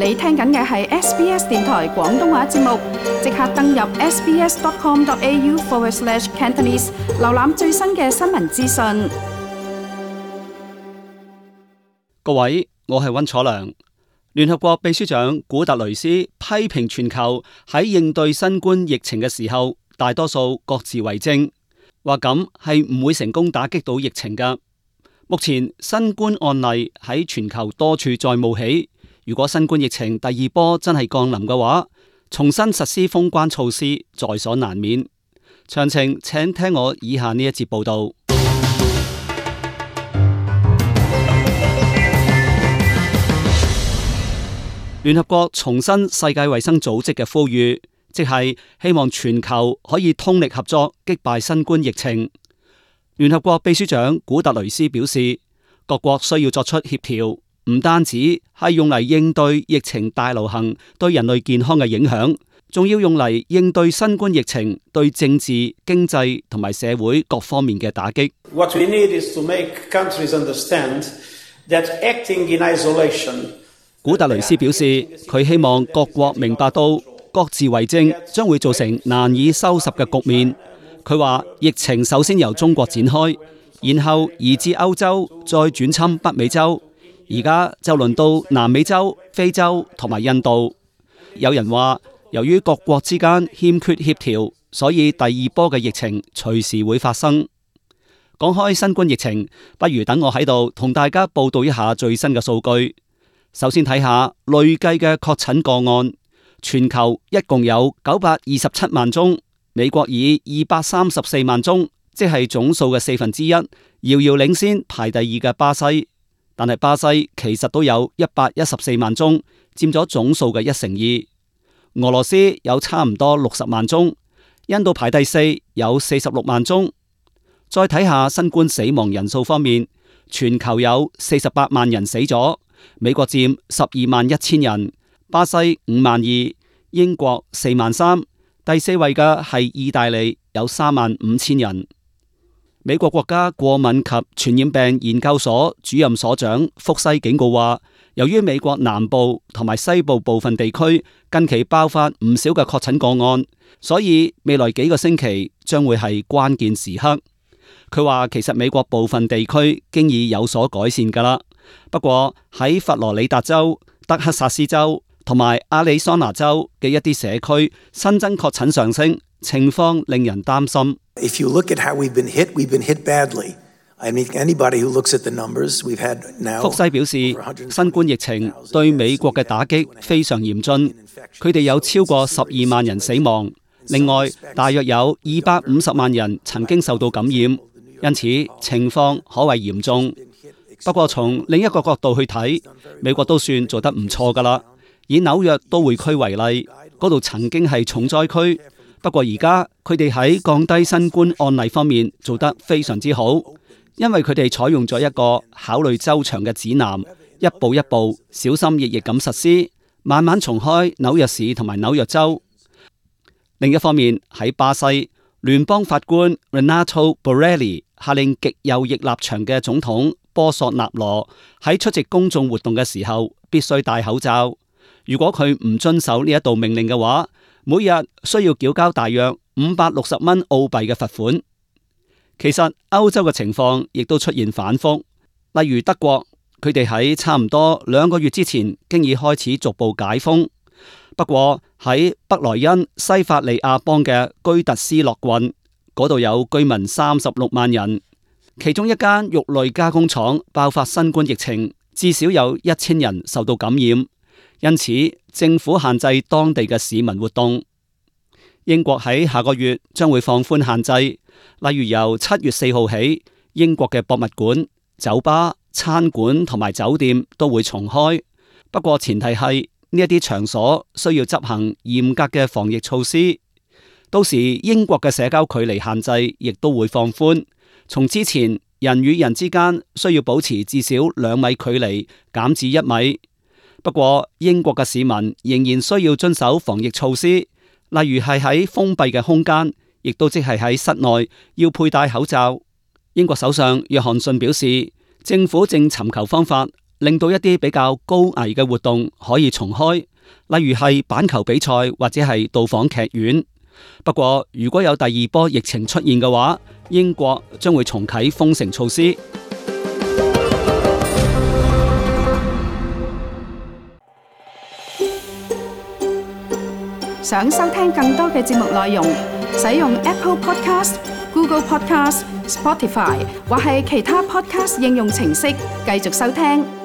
你聽緊嘅係 SBS 電台廣東話節目，即刻登入 sbs.com.au/cantonese 瀏覽最新嘅新聞資訊。各位，我係溫楚良。聯合國秘書長古特雷斯批評全球喺應對新冠疫情嘅時候，大多數各自為政，話咁係唔會成功打擊到疫情㗎。目前新冠案例喺全球多處再冒起，如果新冠疫情第二波真係降臨嘅話，重新實施封關措施在所難免。詳情請聽我以下呢一節報道。聯合國重申世界衛生組織嘅呼籲，即係希望全球可以通力合作擊敗新冠疫情。聯合國秘書長古特雷斯表示，各國需要作出協調，唔單止係用嚟應對疫情大流行對人類健康嘅影響，仲要用嚟應對新冠疫情對政治、經濟同埋社會各方面嘅打擊。What we need is to make countries understand that acting in isolation。古特雷斯表示，佢希望各國明白到各自為政將會造成難以收拾嘅局面。佢話疫情首先由中國展開，然後移至歐洲，再轉侵北美洲，而家就輪到南美洲、非洲同埋印度。有人話，由於各國之間欠缺協調，所以第二波嘅疫情隨時會發生。講開新冠疫情，不如等我喺度同大家報道一下最新嘅數據。首先睇下累計嘅確診個案，全球一共有927萬宗。美國以234萬宗，即係總數嘅1/4，遙遙領先排第二嘅巴西。但係巴西其實都有114萬宗，佔咗總數嘅1/2。俄羅斯有差唔多60萬宗，印度排第四，有46萬宗。再睇下新冠死亡人數方面，全球有48萬人死咗，美國佔12.1萬人，巴西5.2萬，英國4.3萬。第四位嘅係意大利，有3.5萬人。美國國家過敏及傳染病研究所主任所長福西警告話，由於美國南部同埋西部部分地區近期爆發唔少嘅確診個案，所以未來幾個星期將會係關鍵時刻。佢話其實美國部分地區經已有所改善噶啦，不過喺佛羅里達州、德克薩斯州同埋亞利桑那州嘅一啲社區新增確診上升，情況令人擔心。If you look at how we've been hit badly. I mean, anybody who looks at the numbers we've had now。福西表示，新冠疫情對美國嘅打擊非常嚴峻，佢哋有超過12萬人死亡，另外大約有250萬人曾經受到感染，因此情況可謂嚴重。不過從另一個角度去睇，美國都算做得唔錯噶啦。以紐約都會區為例，嗰度曾經係重災區，不過而家佢哋喺降低新冠案例方面做得非常之好，因為佢哋採用咗一個考慮周詳嘅指南，一步一步小心翼翼咁實施，慢慢重開紐約市同埋紐約州。另一方面喺巴西，聯邦法官 Renato Borelli 下令極右翼立場嘅總統波索納羅喺出席公眾活動嘅時候必須戴口罩。如果佢唔遵守呢一道命令嘅話，每日需要繳交大約560蚊澳幣嘅罰款。其實歐洲嘅情況亦都出現反覆，例如德國，佢哋喺差唔多2個月之前經已開始逐步解封。不過喺北萊茵西法利亞邦嘅居特斯洛郡嗰度有居民36萬人，其中一間肉類加工廠爆發新冠疫情，至少有1000人受到感染。因此，政府限制當地嘅市民活動。英國喺下個月將會放寬限制，例如由7月4號起，英國嘅博物館、酒吧、餐館同埋酒店都會重開。不過前提係呢一啲場所需要執行嚴格嘅防疫措施。到時英國嘅社交距離限制亦都會放寬，從之前人與人之間需要保持至少2米距離，減至1米。不過英國嘅市民仍然需要遵守防疫措施，例如係喺封閉嘅空間，亦都即係喺室內要佩戴口罩。英國首相約翰遜表示，政府正尋求方法令到一啲比較高危嘅活動可以重開，例如係板球比賽或者係到訪劇院。不過，如果有第二波疫情出現嘅話，英國將會重啟封城措施。想收聽更多嘅節目內容，使用 Apple Podcast、Google Podcast、Spotify 或係其他 Podcast 應用程式繼續收聽。